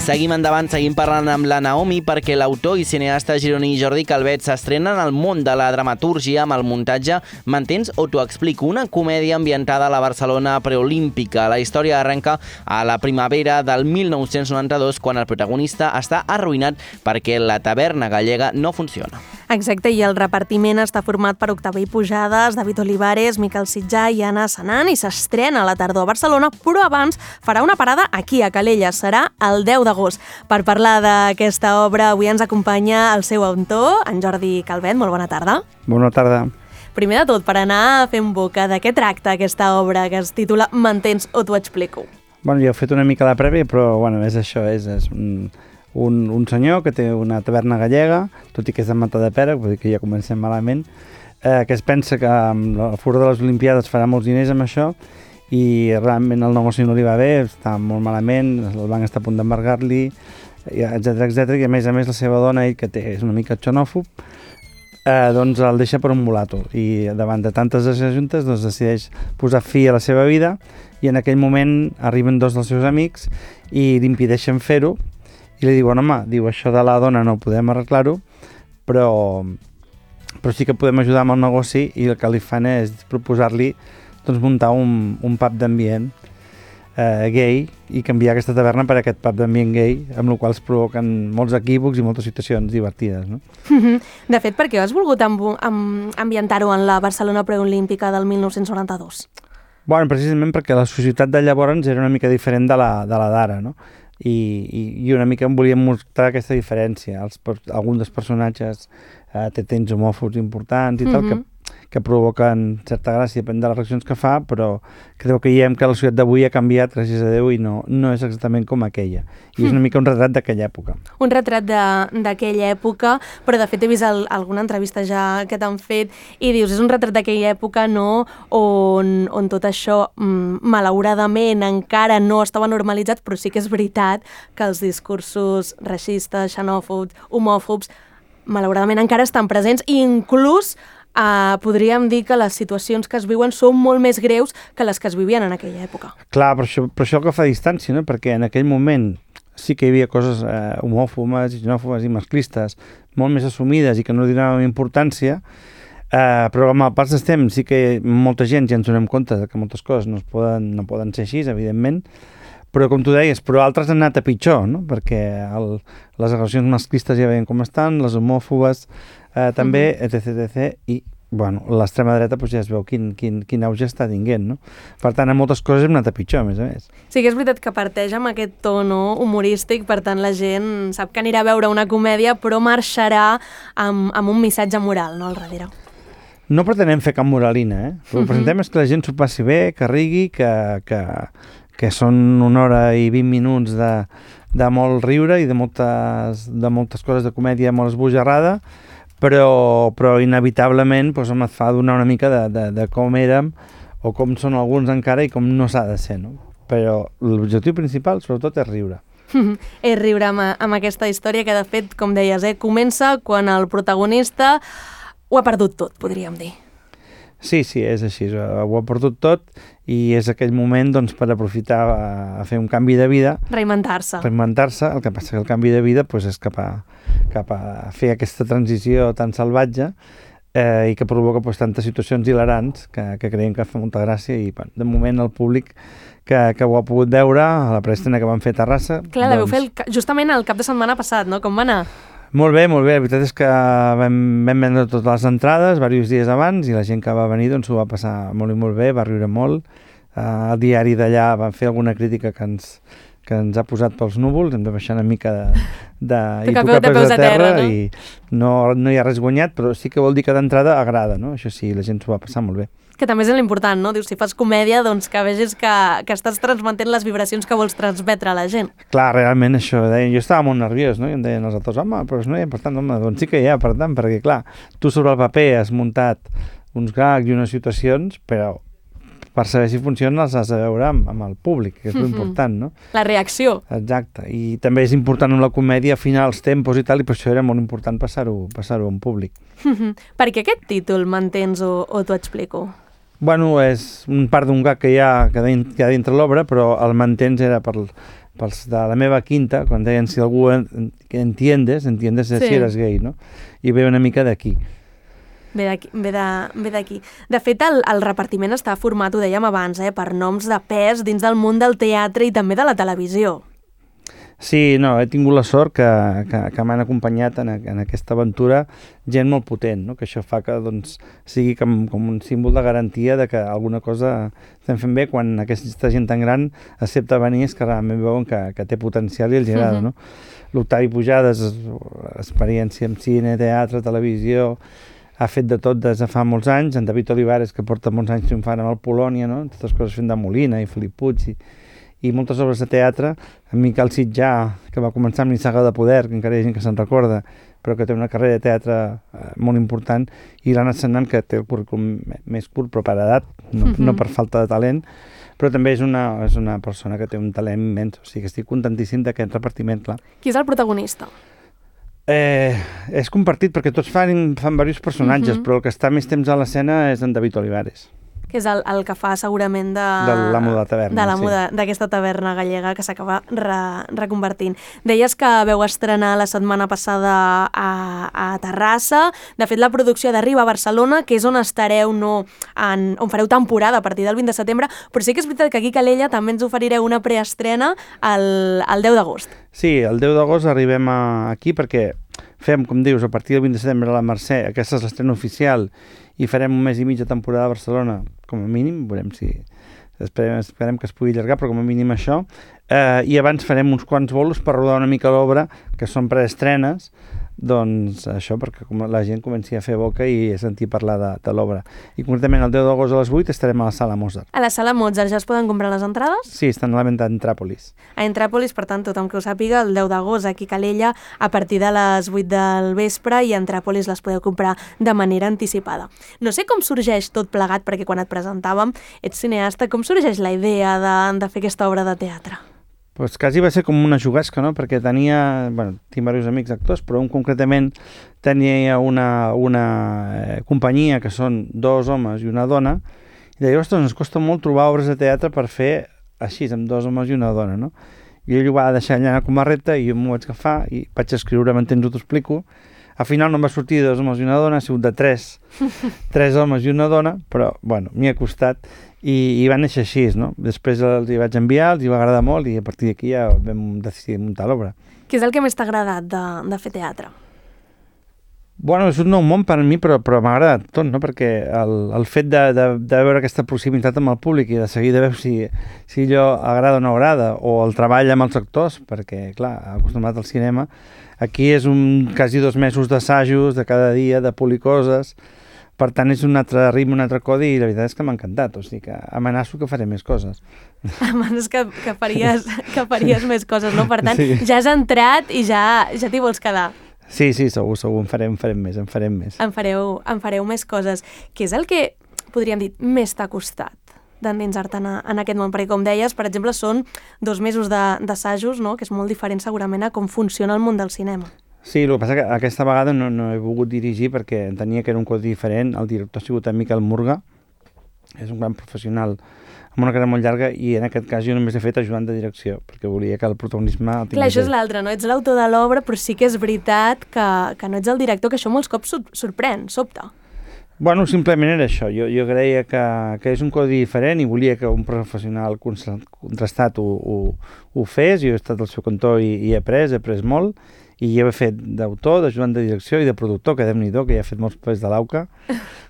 Seguim endavant, seguim parlant amb la Naomi perquè l'autor i cineasta gironí Jordi Calvet s'estrena en el món de la dramatúrgia amb el muntatge M'entens o t'ho explico, una comèdia ambientada a la Barcelona preolímpica. La història arrenca a la primavera del 1992 quan el protagonista està arruïnat perquè la taverna gallega no funciona. Exacte, i el repartiment està format per Octaví Pujades, David Olivares, Miquel Sitjà i Anna Senan i s'estrena a la tardor a Barcelona, però abans farà una parada aquí a Calella, serà el 10 d'agost. Per parlar d'aquesta obra avui ens acompanya el seu autor, en Jordi Calvet. Molt bona tarda. Bona tarda. Primer de tot, per anar fent boca, de què tracta aquesta obra que es titula M'entens o t'ho explico? Bueno, ja he fet una mica la prèvia, però bueno, és això, és un senyor que té una taverna gallega, tot i que és de Matadepera, vull dir que ja comencem malament, que es pensa que amb la fura de les Olimpiades farà molts diners amb això i realment el negoci no li va bé, està molt malament, el banc està a punt d'embargar-li, etc, i a més la seva dona, ell que és una mica xenòfob, doncs el deixa per un mulato i davant de tantes juntes doncs decideix posar fi a la seva vida i en aquell moment arriben dos dels seus amics i li impedeixen fer-ho i li diuen, home, això de la dona no podem arreglar-ho, però sí que podem ajudar amb el negoci i el que li fan és proposar-li doncs, muntar un pub d'ambient gay i canviar aquesta taverna per aquest pub d'ambient gay, amb el qual es provoquen molts equívocs i moltes situacions divertides, no? De fet, per què has volgut ambientar-ho en la Barcelona preolímpica del 1992? Bueno, precisament perquè la societat de llavors era una mica diferent de la d'ara, no? I una mica em volíem mostrar aquesta diferència. Alguns dels personatges té tents homòfobs importants i tal, que provoquen certa gràcia, depèn de les reaccions que fa, però creu que veiem que la societat d'avui ha canviat, gràcies a Déu, i no és exactament com aquella. I és una mica un retrat d'aquella època. Un retrat d'aquella època, però de fet he vist alguna entrevista ja que t'han fet i dius, és un retrat d'aquella època, no?, on tot això, malauradament, encara no estava normalitzat, però sí que és veritat que els discursos racistes, xenòfobs, homòfobs, malauradament encara estan presents i inclús podríem dir que les situacions que es viuen són molt més greus que les que es vivien en aquella època. Clar, però això que fa distància, no? Perquè en aquell moment sí que hi havia coses homòfobes, xenòfobes i masclistes molt més assumides i que no li donàvem importància, però amb el pas del temps sí que molta gent ja ens donem compte que moltes coses no poden ser així, evidentment, però com tu deies, però altres han anat a pitjor, no? Perquè les agressions masclistes ja veiem com estan, les homòfobes també, etc. I bueno, l'extrema dreta ja es veu quin auge està tinguent, no? Per tant, en moltes coses hem anat a pitjor, a més. Sí que és veritat que parteix amb aquest to, no?, humorístic, per tant la gent sap que anirà a veure una comèdia però marxarà amb un missatge moral, no?, al darrere. No pretenem fer cap moralina, El que presentem és que la gent s'ho passi bé, que rigui, que són 1 hora i 20 minuts de molt riure i de moltes coses de comèdia molt esbojarrada, però inevitablement et fa donar una mica de com érem o com són alguns encara i com no s'ha de ser, no? Però l'objectiu principal, sobretot, és riure. És riure amb aquesta història que, de fet, com deies, comença quan el protagonista ho ha perdut tot, podríem dir. Sí, és així, ho ha perdut tot i és aquell moment doncs, per aprofitar a fer un canvi de vida. Reinventar-se. El que passa que el canvi de vida és cap a fer aquesta transició tan salvatge i que provoca tantes situacions hilarants que creiem que fa molta gràcia i de moment el públic que ho ha pogut veure a la preestrena que vam fer a Terrassa. Clar, la vau fer justament el cap de setmana passat, no? Com va anar? Molt bé, la veritat és que vam vendre totes les entrades diversos dies abans i la gent que va venir doncs ho va passar molt i molt bé, va riure molt. El diari d'allà va fer alguna crítica que ens ha posat pels núvols, hem de baixar una mica i tocar peus a terra, no? I no hi ha res guanyat, però sí que vol dir que d'entrada agrada, no? Això sí, la gent s'ho va passar molt bé. Que també és l'important, no? Dius, si fas comèdia, doncs que vegis que estàs transmetent les vibracions que vols transmetre a la gent. Clar, realment això, jo estava molt nerviós, no? I em deien els altres, home, però no hi ha per tant, doncs sí que hi ha per tant, perquè clar, tu sobre el paper has muntat uns gags i unes situacions, però per saber si funcionen els has de veure amb el públic, que és l'important, no? La reacció. Exacte, i també és important en la comèdia afinar els tempos i tal, i per això era molt important passar-ho en públic. Per què aquest títol, M'entens o t'ho explico? Bueno, és un part d'un gag que hi ha dintre l'obra, però el M'entens era per pels de la meva quinta, quan deien si algú entiendes si eres gay, no? I ve una mica d'aquí. Ve d'aquí. De fet, el repartiment està format, ho dèiem abans, per noms de pes dins del món del teatre i també de la televisió. Sí, no, he tingut la sort que m'han acompanyat en aquesta aventura gent molt potent, no? Que això fa que doncs, sigui com un símbol de garantia de que alguna cosa estem fent bé quan aquesta gent tan gran accepta venir, és que realment veuen que té potencial i els agrada, no? L'Octavi Pujades, experiència en cine, teatre, televisió, ha fet de tot des de fa molts anys, en David Olivares, que porta molts anys triomfant amb el Polònia, no? Totes coses fent de Molina i Felip Puig i moltes obres de teatre, en Miquel Sitjà, que va començar amb l'Issaga de Poder, que encara hi ha gent que se'n recorda, però que té una carrera de teatre molt important, i l'Anna Sennant, que té el currículum més curt, però per edat, no per falta de talent, però també és una persona que té un talent immens, o sigui que estic contentíssim d'aquest repartiment, clar. Qui és el protagonista? És compartit perquè tots fan diversos personatges, però el que està més temps a l'escena és en David Olivares. Que és el que fa segurament de l'amo de la taverna. De l'amo d'aquesta taverna gallega que s'acaba reconvertint. Deies que veu estrenar la setmana passada a Terrassa. De fet, la producció d'arriba a Barcelona, que és on estareu, on fareu temporada a partir del 20 de setembre, però sí que és veritat que aquí a Calella també ens oferireu una preestrena el 10 d'agost. Sí, el 10 d'agost arribem aquí perquè fem, com dius, a partir del 20 de setembre a la Mercè, aquesta és l'estrena oficial, i farem un mes i mig de temporada a Barcelona, com a mínim, veurem si esperem que es pugui allargar, però com a mínim això, i abans farem uns quants bolos per rodar una mica l'obra, que són preestrenes, doncs això, perquè la gent comenci a fer boca i a sentir parlar de l'obra. I concretament el 10 d'agost a les 8 estarem a la Sala Mozart. A la Sala Mozart ja es poden comprar les entrades? Sí, estan a la venda a Entràpolis. A Entràpolis, per tant, tothom que ho sàpiga, el 10 d'agost aquí a Calella, a partir de les 8 del vespre, i a Entràpolis les podeu comprar de manera anticipada. No sé com sorgeix tot plegat, perquè quan et presentàvem, ets cineasta, com sorgeix la idea de fer aquesta obra de teatre? Pues quasi va ser com una jugasca, no? Perquè tinc diversos amics actors, però un concretament tenia una companyia que són 2 homes i una dona, i deia, ostres, ens costa molt trobar obres de teatre per fer així, amb 2 homes i una dona, no? I ell ho va deixar allà com a repte i jo m'ho vaig agafar i vaig escriure, m'entens, ho t'explico. Al final no em va sortir de 2 homes i una dona, ha sigut de 3 homes i una dona, però, m'hi ha costat. I va néixer així, no? Després els hi vaig enviar, els hi va agradar molt i a partir d'aquí ja vam decidir muntar l'obra. Què és el que més t'ha agradat de fer teatre? És un nou món per a mi, però m'ha agradat tot, no? Perquè el fet de veure aquesta proximitat amb el públic i de seguir de veure si allò agrada o no agrada, o el treball amb els actors, perquè, clar, acostumat al cinema, aquí és quasi 2 mesos d'assajos de cada dia, de polir coses. Per tant, és un altre ritme, un altre codi, i la veritat és que m'ha encantat, o sigui que amenaço que faré més coses. Amenaces que faries més coses, no? Per tant, sí. Ja has entrat i ja t'hi vols quedar. Sí, segur, en farem més. En fareu més coses. Què és el que, podríem dir, més t'ha costat d'endinsar-te en aquest món? Perquè, com deies, per exemple, són 2 mesos d'assajos, no? Que és molt diferent segurament a com funciona el món del cinema. Sí, el que passa que aquesta vegada no he volgut dirigir perquè entenia que era un codi diferent. El director ha sigut en Miquel Murga, és un gran professional amb una carrera molt llarga, i en aquest cas jo només he fet ajudant de direcció, perquè volia que el protagonisme el tingués. Clar, això és l'altre, no? Ets l'autor de l'obra, però sí que és veritat que no ets el director, que això molts cops sorprèn, sobta. Simplement era això. Jo creia que és un codi diferent i volia que un professional contrastat ho fes. Jo he estat al seu cantó i he après molt, i jo he fet d'autor, d'ajudant de direcció i de productor, que Déu-n'hi-do, que ja he fet molts papers de l'AUCA.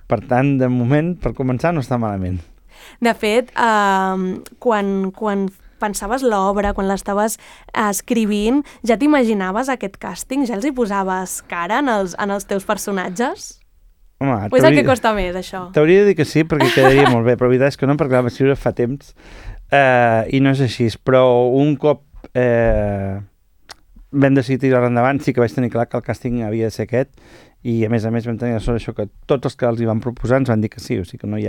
Per tant, de moment, per començar, no està malament. De fet, quan pensaves l'obra, quan l'estaves escrivint, ja t'imaginaves aquest càsting? Ja els hi posaves cara en els teus personatges? Home, o és el que costa més, això? T'hauria de dir que sí, perquè quedaria molt bé, però la veritat és que no, perquè la vaig escriure fa temps i no és així. Però un cop vam decidir tirar endavant, sí que vaig tenir clar que el càsting havia de ser aquest, i a més vam tenir la sort això, que tots els que els hi van proposar ens van dir que sí, o sigui que no hi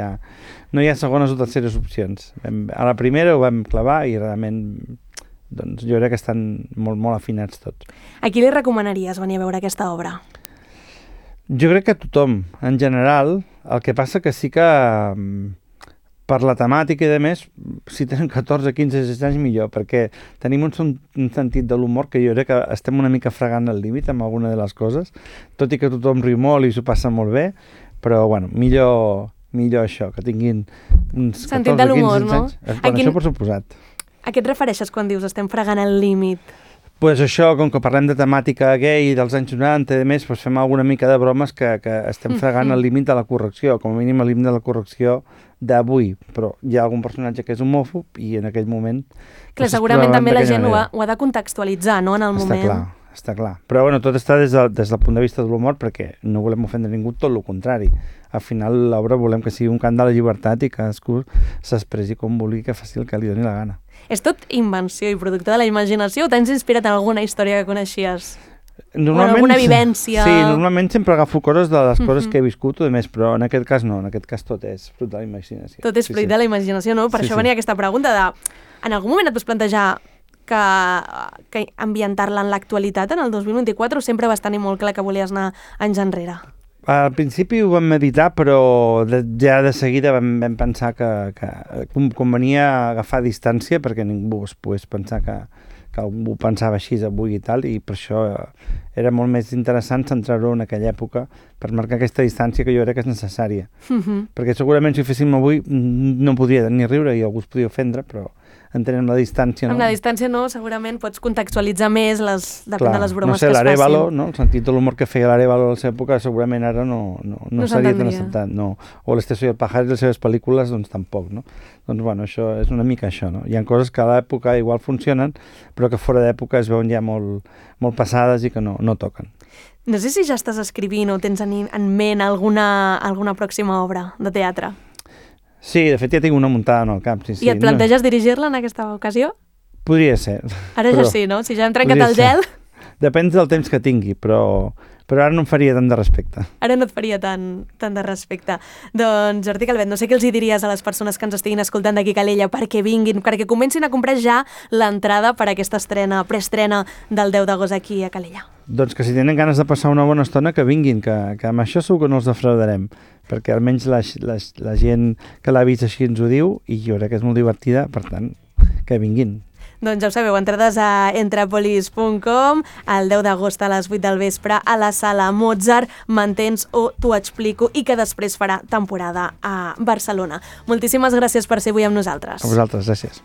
ha segones o terceres opcions. A la primera ho vam clavar i realment doncs, jo crec que estan molt, molt afinats tots. A qui li recomanaries venir a veure aquesta obra? Jo crec que a tothom, en general. El que passa que sí que per la temàtica i de més, si tenen 14, 15, 16 anys millor, perquè tenim un sentit de l'humor que jo crec que estem una mica fregant el límit amb alguna de les coses, tot i que tothom riu molt i s'ho passa molt bé, però bueno, millor això, que tinguin uns 14, sentit de l'humor, 15 anys. no? Bueno, això per suposat. A què et refereixes quan dius estem fregant el límit? Pues això, com que parlem de temàtica gay dels anys 90 i més, pues fem alguna mica de bromes que estem fregant el límit de la correcció, com a mínim el límit de la correcció d'avui, però hi ha algun personatge que és homòfob i en aquell moment... Clar, segurament també la gent ho ha de contextualitzar, no?, en el moment. Està clar. Però bueno, tot està des del punt de vista de l'humor perquè no volem ofendre ningú, tot el contrari. Al final l'obra volem que sigui un cant de la llibertat i que cadascú s'expressi com vulgui, que faci el que li doni la gana. És tot invenció i producte de la imaginació o t'has inspirat en alguna història que coneixies? Normalment, o alguna vivència? Sí, normalment sempre agafo coses de les coses que he viscut o de més, però en aquest cas no, en aquest cas tot és fruit de la imaginació. Tot és fruit de la imaginació, no? Per això venia aquesta pregunta de... En algun moment et vas plantejar que ambientar-la en l'actualitat en el 2024 o sempre vas tenir molt clar que volies anar anys enrere? Al principi ho vam meditar, però ja de seguida vam pensar que convenia agafar distància perquè ningú es pogués pensar que algú pensava així avui i tal, i per això era molt més interessant centrar-ho en aquella època per marcar aquesta distància que jo crec que és necessària. Perquè segurament si ho féssim avui no podria ni riure i algú es podia ofendre, però entenem la distància, no? Amb la distància no, segurament pots contextualitzar més, depèn de les bromes que es facin. l'Arévalo, no? El sentit de l'humor que feia l'Arévalo a la seva època segurament ara no seria tan acceptat, no. O l'Esteso i el Pajar i les seves pel·lícules, doncs tampoc, no? Doncs bueno, això és una mica això, no? Hi ha coses que a l'època igual funcionen, però que fora d'època es veuen ja molt passades i que no toquen. No sé si ja estàs escrivint o tens en ment alguna pròxima obra de teatre. Sí, de fet ja tinc una muntada en el cap. Sí, I et planteges dirigir-la en aquesta ocasió? Podria ser. Ara ja sí, no? Si ja hem trencat el gel... Depèn del temps que tingui, però ara no em faria tant de respecte. Ara no et faria tant de respecte. Doncs, Jordi Calvet, no sé què els hi diries a les persones que ens estiguin escoltant d'aquí a Calella perquè vinguin, perquè comencin a comprar ja l'entrada per a aquesta preestrena del 10 d'agost aquí a Calella. Doncs que si tenen ganes de passar una bona estona, que vinguin, que amb això segur que no els defraudarem, perquè almenys la gent que l'ha vist així ens ho diu i jo crec que és molt divertida, per tant, que vinguin. Doncs ja ho sabeu, entrades a entrepolis.com el 10 d'agost a les 8 del vespre a la sala Mozart, M'entens o T'ho explico, i que després farà temporada a Barcelona. Moltíssimes gràcies per ser avui amb nosaltres. A vosaltres, gràcies.